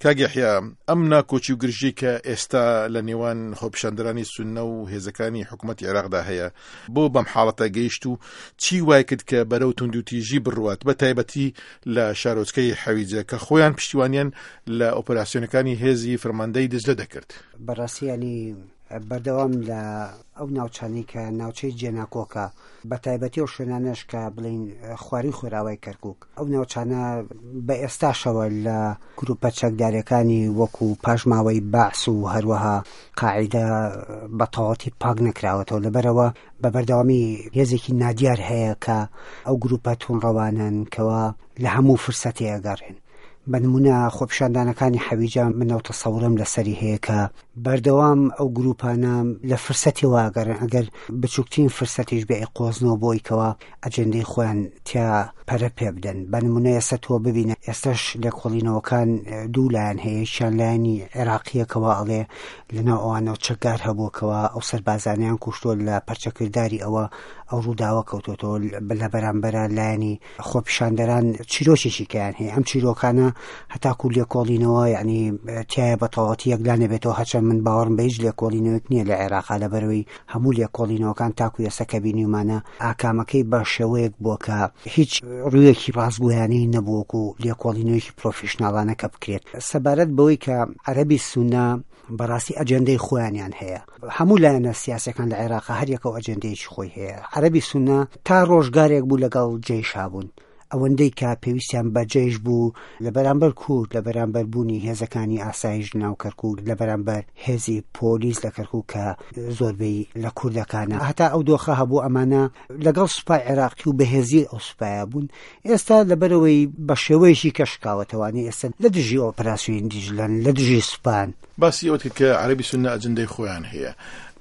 کاک یەحیا، ئەم ناکۆکی و گرژیەی کە ئێستا لە نێوان خۆپیشاندەرانی سوننە و هێزەکانی حکومەتی عێراقدا هەیە، بۆ بەم حاڵەتە گەیشت و چی وای کرد کە بەرەو توندوتیژی بڕوات، بە تایبەتی لە شارۆچکەی حەویجە کە خۆیان پشتیوانیان لە ئۆپەراسیۆنەکانی هێزی فەرماندەی دجلە دەکرد؟ بەڕاستی یانی بەردەوام لە ئەو ناوچانەی کە ناوچەی جێناکۆکە، بە تایبەتی ئەو شوێنانەش کە بڵێین خوارووی خۆراوای کەرکووک، ئەو ناوچانە بە ئێستاشەوە لە گروپە چەکدارەکانی وەکو پاشماوەی بەعس و هەروەها قاعیدە بە تەواوەتی پاک نەکراوەتەوە، لەبەرئەوە بە بەردەوامی هێزێکی نادیار هەیە کە ئەو گروپە توندڕەوانەن کەوا لە هەموو فرسەتێ ئەگەڕێن. بە نمونە خۆپیشاندانەکانی حەویجە من ئەو تەسەورەم لەسەری هەیە کە بەردەوام ئەو گروپانە لە فرسەتی واگەڕێن ئەگەر بچووکترین فرسەتیش بێ ئەیقۆزنەوە بۆی کەوا ئەجێندەی خۆیان تیا پەرە پێ بدەن. بە نمونە ئێستا تۆ ببینە ئێستاش لێکۆڵینەوەکان دوو لایەن هەیە، یەکیان لایەنی عێراقیە کەوا ئەڵێ لەناو ئەوانەوە چەکدار هەبووە کەوا ئەو سەربازانەیان کوشتووە لە پەرچەکرداری ئەوە ئەو ڕووداوە کەوتۆتەوە، لە بەرامبەرا لایەنی خۆپیشاندەران چیرۆکێکی کەیان هەیە ئەم چیرۆکانە هەتاکو لێکۆڵینەوە یعنی تایە بە تەواوەتی یەکلا نەبێتەوە هەرچەند من باوەڕم بە هیچ لێکۆڵینەوەک نییە لە عێراقا لەبەرەوەی هەموو لێکۆڵینەوەکان تاکو ئێستا کە بینیومانە ئاکامەکەی بە شێوەیەک بووە کە هیچ ڕوویەکی ڕاستگۆیانەی نەبووەکو لێکۆڵینەوەیەکی پرۆفیشناڵانە کە بکرێت سەبارەت بەوەی کە عەرەبی سونە بەڕاستی ئەجێندەی خۆیانیان هەیە هەموو لایەنە سیاسەکان لە عێراق هەریەکە و ئەجێندەیەکی خۆی هەیە عەربی سونە تا ڕۆژگارێک بوو لەگەڵ جەیشا بوون ئەوەندەی کە پێویستیان بە جەیش بوو لە بەرامبەر کورد لە بەرامبەر بوونی هێزەکانی ئاسایش ناو کەرکک لە بەرامبەر هێزی پۆلیس لە کەرکک کە زۆربەی لە کوردەکانە هەتا ئەو دۆخە هەبوو ئەمانە لەگەڵ سوپای عێراقی و بەهێزی ئەو سوپایە بوون ئێستا لەبەرەوەی بە شێوەیەکی کە شکاوەتەوانی ئێستا لە دژی ئۆپراسیۆن دیجلەن لە دژی سوپان. باسی ئەوەت کرد کە عەرەبی سوننە ئەجندای خۆیان هەیە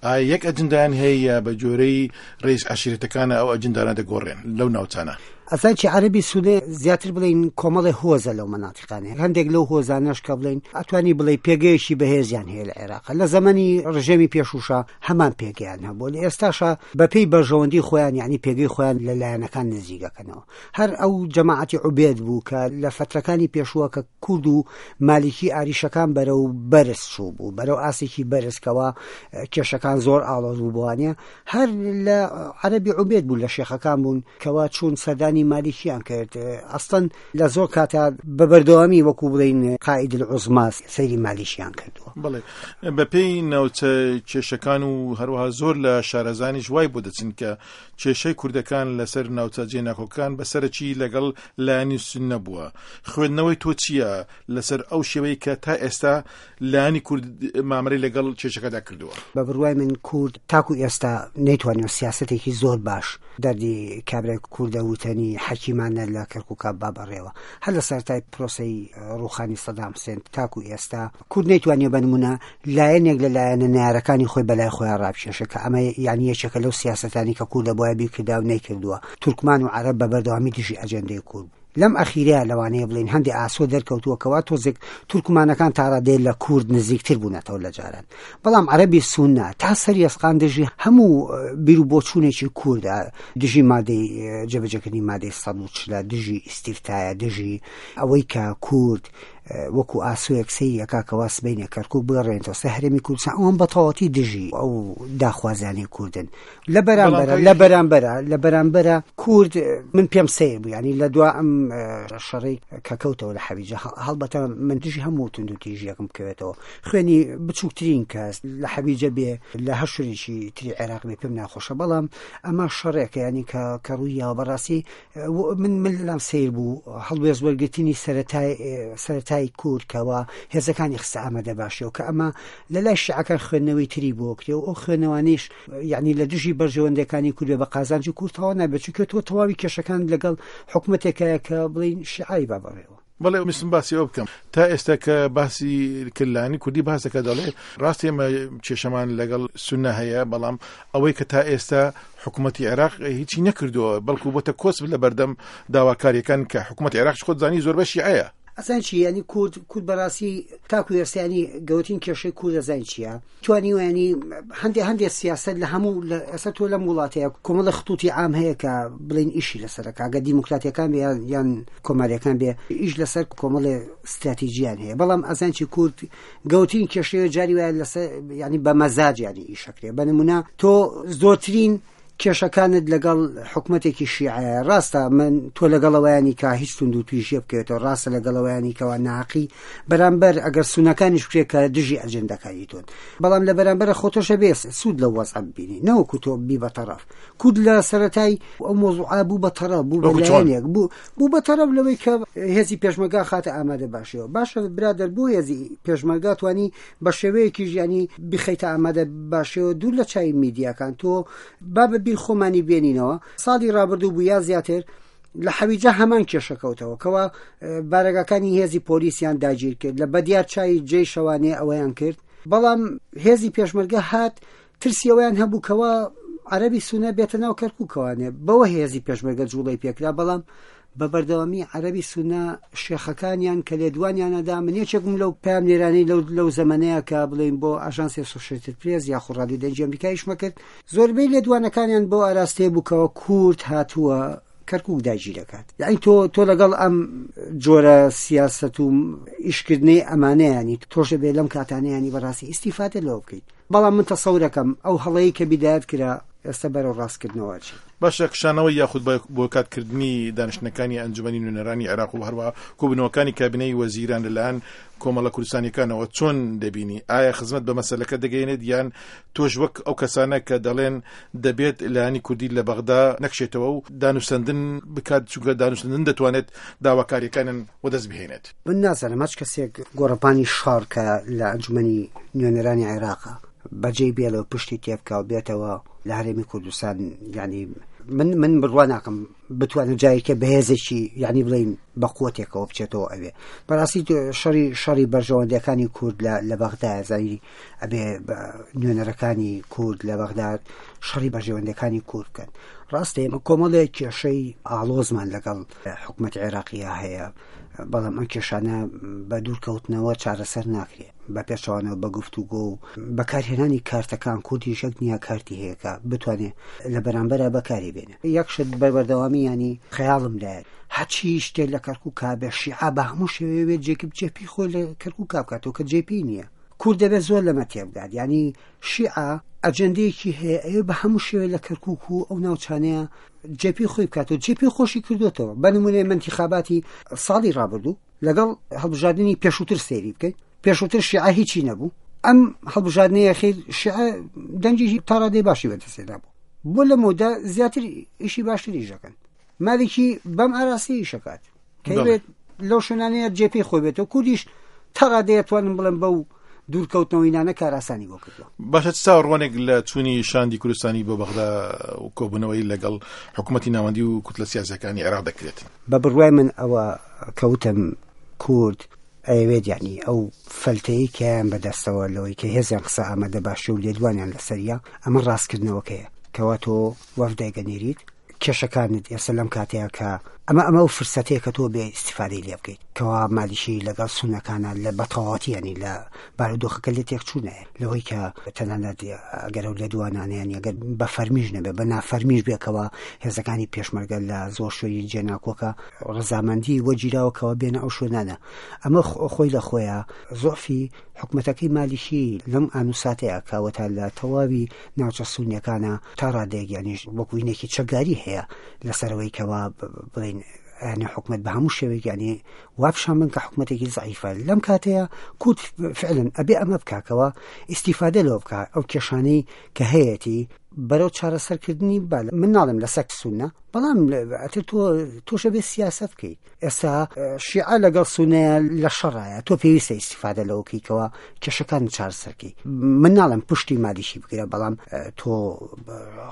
ئایا یەک ئەجندایان هەیە یا بە جۆرەی ڕیز عەشیرەتەکانە ئەو ئەجندانە دەگۆڕێن لەو ناوچانە؟ ئەزانی چی عەرەبی سوننە زیاتر بڵێین کۆمەڵێ هۆزە لەو مەناتیقانەیە هەندێک لەو هۆزانەش کە بڵێین ئەتوانی بڵێی پێگەیەکی بەهێزیان هەیە لە عێراق لە زەمەنی ڕژێمی پێشووشا هەمان پێگەیان هەبووە لە ئێستاشا بەپێی بەرژەوەندی خۆیان یعنی پێگەی خۆیان لە لایەنەکان نزیک ئەکەنەوە هەر ئەو جەماعەتی عوبێد بوو کە لە فەترەکانی پێشووە کە کورد و مالیکی ئاریشەکان بەرەو بەرز چوو بوو بەرەو ئاسێکی بەرزکەوە کێشەکان زۆر ئاڵۆز بوو بۆوانە هەر لە عەربی عوبێد بوو لە شێخەکان بوون کەوا چوون سەردانی مالیکیان کرد ئەستەن لە زۆر کاتا بە بەردەوامی وەکو بڵین قائید العظما سەیری مالیکیان کردووە. بەڵێ بەپێی ناوچە کێشەکان و هەروەها زۆر لە شارەزانیش وای بۆ دەچن کە کێشەی کوردەکان لەسەر ناوچە جێناکۆکان بە سەرەکی لەگەڵ لایەنی سوننە بووە خوێندنەوەی تۆ چییە لەسەر ئەو شێوەی کە تا ئێستا لایەنی کورد مامەلەی لەگەڵ کێشەکەدا کردووە؟ بە بڕوای من کورد تاکو ئێستا نەیتوانیوە سیاسەتێکی زۆر باش دەردی کابرای کوردە وتەنی حەکیمانە لە کەرکوکا با بەڕێوە هەر لە سەرەتای پرۆسەی ڕوخانی سەدام حسێن تاکو ئێستا کورد نەیتوانیوە بە نمونە لایەنێک لە لایەنە نەیارەکانی خۆی بەلای خۆیان ڕابکێشێ کە ئەمە یانی یەکێکە لەو سیاسەتانی کە کورد دەبوایە بیکردا و نەیکردووە تورکمان و عەرەب بە بەردەوامی دژی ئەجێندەی کورد بوون. لەم ئەخیرەیا لەوانەیە بڵێین هەندێ ئاسۆ دەرکەوتووە کەوا تۆزێک تورکمانەکان تاڕادەیە لە کورد نزیکتر بوونەتەوە لە جاران بەڵام عەرەبی سوننە تا سەر یەسقان دژی هەموو بیر و بۆچوونێکی کوردە دژی مادەی جێبەجێکردنی مادەی 140 دژی ئیستیفتایە دژی ئەوەی کە کورد وەکو ئاسۆیەک سەیری ئەکا کەوا سبەینێ کەرکوک بگەڕێنێتەوە سەر هەرێمی کوردستان ئەوان بە تەواوەتی دژی ئەو داخوازیانەی کوردن لە بەرامبەرە لە بەرامبەرە لە بەرامبەرە کورد من پێم سەیر بوو ینی لە دوا ئەم شەڕی کە کەوتەوە لە حەویجە هەڵبەتە من دژی هەموو تونند و تیژیەکم بکەوێتەوە خوێنی بچووکترین کەس لە حەویجە بێ لە هەر شوێنێکی تری عێراق بێ پێم ناخۆشە بەڵام ئەمە شەڕێکە ینی کە کە ڕوویاوە بەڕاستی من من لام سیر بوو هەڵوێست وەرگرتنی سەرەتای سەرەتای کورد کەوا هێزەکانی خستە ئامادە باشیەوە کە ئەمە لە لای شیعەکان خوێندنەوەی تری بۆ کرێ و ئەو خوێندنەوانیش یعنی لە دژی بەرژەوەندەکانی کورد بە قازانجی کورد تەواو نابێت چونکە تۆ تەواوی کێشەکان لەگەڵ حکومەتێکایە کە بڵین شیعی با بەڕێوە. بەڵێ ویستم باسی ئەوە بکەم تا ئێستا کە باسی کلانی کوردی باس دەکات دەڵێ ڕاست ئێمە کێشەمان لەگەڵ سونە هەیە بەڵام ئەوەی کە تا ئێستا حکوومەتتی عێراق هیچی نەکردووە بەڵکو بۆتە کۆسپ لە بەردەم داواکاریەکان کە حکوومەت عێراق خۆت زانی زۆربە شیعەیە. ئەزانی چی یانی کورد کورد بەڕاستی تاکو ئێستا ینی گەورەترین کێشەی کورد ئەزانی چییە توانیوە ینی هەندێ هەندێ سیاست لە هەموو لە ئێستا تۆ لەم وڵاتەیە کۆمەڵە خطوطی عام هەیە کە بڵین ئیشی لەسەرەکە گە دیموکراتیەکان بێ یان کۆماریەکان بێ ئیش لەسەر کۆمەڵێ استراتیژیان هەیە بەڵام ئەزان چی کورد گەوترین کێشەیە جاری وایە لەسەر ینی بە مەزاج ینی ئیشەکرێ بە نمونە تۆ زۆرترین کێشەکانت لەگەڵ حکومەتێکی شیعەیە ڕاستە من تۆ لەگەڵەوەیانی کە هیچ توند و تویژیە بکەوێتەوە ڕاستە لەگەڵەوەیانی کەوا ناحەقی بەرامبەر ئەگەر سونەکانیش بکرێت کە دژی ئەجندەکانی تۆن بەڵام لە بەرامبەر خۆتۆشە بێ سوود لە وەزع ببینی نەوەکو تۆ بی بە تەڕەف کورد لە سەرەتای ئەو مۆزوعە بوو بە تەڕەف بوو بە لایەنێک بوو بوو بە تەڕەف لەوەی کە هێزی پێشمەرگە خاتە ئامادە باشیەوە باشە برادەر بۆ هێزی پێشمەرگە توانی بە شێوەیەکی ژیانی بخەیتە ئامادە باشەوە دوور لە چاوی میدیاکان تۆ با بە بیر خۆمانی بێنینەوە ساڵی ڕابردوو بوو یا زیاتر لە حەویجە هەمان کێشە کەوتەوە کەوا بارەگاکانی هێزی پۆلیسیان داگیر کرد لە بەدیار چای جێی شەوانێ ئەوەیان کرد بەڵام هێزی پێشمەرگە هات ترسی ئەوەیان هەبوو کەوا عەرەبی سونە بێتە ناو کەرکوکەوانێ بەوە هێزی پێشمەرگە جوڵەی پێکرا بەڵام بە بەردەوامی عەرەبی سونە شێخەکانیان کە لێدوانیانەدا من یەکێکم لەو پەیامنێرانەی لەو لەو زەمەنەیە کە بڵێین بۆ ئاژانسی ئەسۆشێتد پرێس یاخود ڕادیۆ دەنگی ئەمریکا ئیشمە کرد زۆربەی لێدوانەکانیان بۆ ئاراستەیە بوو کەوا کورد هاتووە کەرکک داگیرەکات یعنی تۆ تۆ لەگەڵ ئەم جۆرە سیاست و ئیشکردنەی ئەمانەیانی تۆشە بێ لەم کاتانەیانی بەڕاستی ئیسیفادە لەوە بکەیت بەڵام من تەسەورەکەم ئەو هەڵەی کە بیدایەت کرا ئێستا بەرەو ڕاستکردنەوە ئەچێت. باشە کشانەوەی یاخود بۆیکات کردنی دانیشتنەکانی ئەنجومەنی نوێنەرانی عێراق و هەروەها کۆبوونەوەکانی کابینەی وەزیران لەلایەن کۆمەڵە کوردستانیەکانەوە چۆن دەبینی؟ ئایا خزمەت بە مەسەلەکە دەگەیەنێت یان تۆش وەک ئەو کەسانە کە دەڵێن دەبێت لایەنی کوردی لە بەغدا نەکشێتەوە و دانوسەندن بکات چونکە دانوسەندن دەتوانێت داواکاریەکانیان وەدەست بهێنێت؟ من نازانم هەچ کەسێک گۆڕەپانی شەڕ کە لە ئەنجومەنی نوێنەرانی عێراقە بەجێی بێڵێ و پشتی تێبکا و بێتەوە لە هەرێمی کوردستان یعنی من من بڕوا ناکەم بتوانێت جارێکە بەهێزێکی یعنی بڵین بە قوتێکەوە بچێتەوە ئەوێ بەڕاستی شەڕی شەڕی بەرژەوەندەکانی کورد لە لە بەغدا زانی ئەبێ نوێنەرەکانی کورد لە بەغداد شەڕی بەرژەوەندەکانی کورد بکەن ڕاستە ئێمە کۆمەڵێک کێشەی ئاڵۆزمان لەگەڵ حکوومەت عێراقیە هەیە بەڵام ئەم کێشانە بە دوورکەوتنەوە چارەسەر ناکرێت بە پێچەوانەوە بە گفتوگۆ و بەکارهێنانی کارتەکان کوردیش یەک نییە کارتی هەیە کە بتوانێت لە بەرامبەرا بەکاری بێنێ یەک شت بە بەردەوامی ینی خەیاڵم لایە هەچی شتێک لە کەرکووکا بێ شیعە بە هەموو شێوەیە بێت جێکی جێپی خۆی لە کەرکووکا بکاتەوە کە جێپی نییە کورد دەبێت زۆر لەمە تێبگات ینی شیعە ئەجەندەیەکی هەیە ئەوێ بە هەموو شێوێ لە کەرکووک و ئەو ناوچانەیە جێپی خۆی بکاتەوە جێپی خۆشی کردوێتەوە بە نمونەی منتیخاباتی ساڵی ڕابردوو لەگەڵ هەڵبژاردننی پێشووتر سەیری بکەیت پێشووتر شیعە هیچی نەبوو ئەم هەڵبژاردنەیە خیر شیعە دەنگی تاڕادەی باشی بەدەستێدا بوو بۆ لە مۆدا زیاتر ئیشی باشتر ئیشەکەن مالکی بەم ئاراستەی ئیشەکات کەبێت لەو شوێنانەیە جێپێی خۆی بێتەوە کوردیش تا ڕادەیە توانم بڵێم بەو دوورکەوتنەوەی نانە کارئاسانی بۆ کردووە. باشە چ چاوەڕوانێک لە چوونی شاندی کوردستانی بۆ بەغدا و کۆبوونەوەی لەگەڵ حکوومەتی ناوەندی و کوتلە سیاسیەکانی عێراق دەکرێت؟ بە بڕوای من ئەوە کەوتم کورد ئەیەوێت یعنی ئەو فەلتەی کەیان بەدەستەوە لەوەی کە هێزیان قسە ئامادە باشی و لێدوانیان لەسەریە ئەمە ڕاستکردنەوەکەیە کەوا تۆ وەفدێک ئەنێریت کێشەکانت ئێستا لەم کاتەیە کە ئەمە ئەمە ئەو فرسەتەیە کە تۆ بێ ئیسیفادەی لێ بکەیت کەوا مالیشی لەگەڵ سونەکانە لە بەتەواوەتی ینی لە بارودۆخەکە لێ تێکچوونایە لەوەی کە تەنانەت ئەگەر ئەو لێدوانانیان ئەگەر بە فەرمیش نەبێ بە نافەرمیش بێکەوە هێزەکانی پێشمەرگە لە زۆر شوێنی جێناکۆکە ڕەزامەندی وەگیراوە کەەوە بێنە ئەو شوێنانە ئەمە خۆی لە خۆیان زۆفی حکومەتەکەی مالیکی لەم ئان و ساتەیا کە ئەوەتا لە تەواوی ناوچە سونیەکانا تا ڕادەیەک یانیش وەکو هینێکی چەکداری هەیە لەسەرەوەی کەوا بڵێین یانی حکومەت بە هەموو شێوەیەک یانی وا پیشان بن کە حکومەتێکی زعیفە لەم کاتەیە کورد فعلا ئەبێ ئەمە بکاکەوە ئیسیفادە لەوە بکە ئەو کێشانەی کە هەیەتی بەرەو چارەسەرکردنی با من ناڵێم لە سەک سونە بەڵام ئەتر تۆ تۆشە بێ سیاسەت بکەیت ئێستا شیعە لەگەڵ سونەیە لە شەڕایە تۆ پێویستە ئیسیفادە لەوە کەیتەوە کێشەکان چارەسەرکەی من ناڵێم پشتی مالیشی بگرە بەڵام تۆ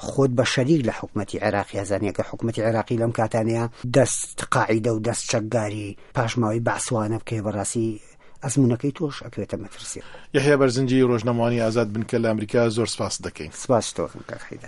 خۆت بە شەریک لە حکوومەتتی عێراقی هەزانیەکە حکوومەتتی عێراقی لەم کاتانەیە دەست قاعیدە و دەست چەکداری پاشماوەی بەعسوانە بکەی بەڕاستی ئەزمونونەکەی تۆش ئەکەوێتە مەترسی. یەحیا بەرزنجی ڕۆژنامەوانی ئازاد بنکە لە ئەمریکا زۆر سپاست دەکەین. سپاس تۆ کاک حەیدەر.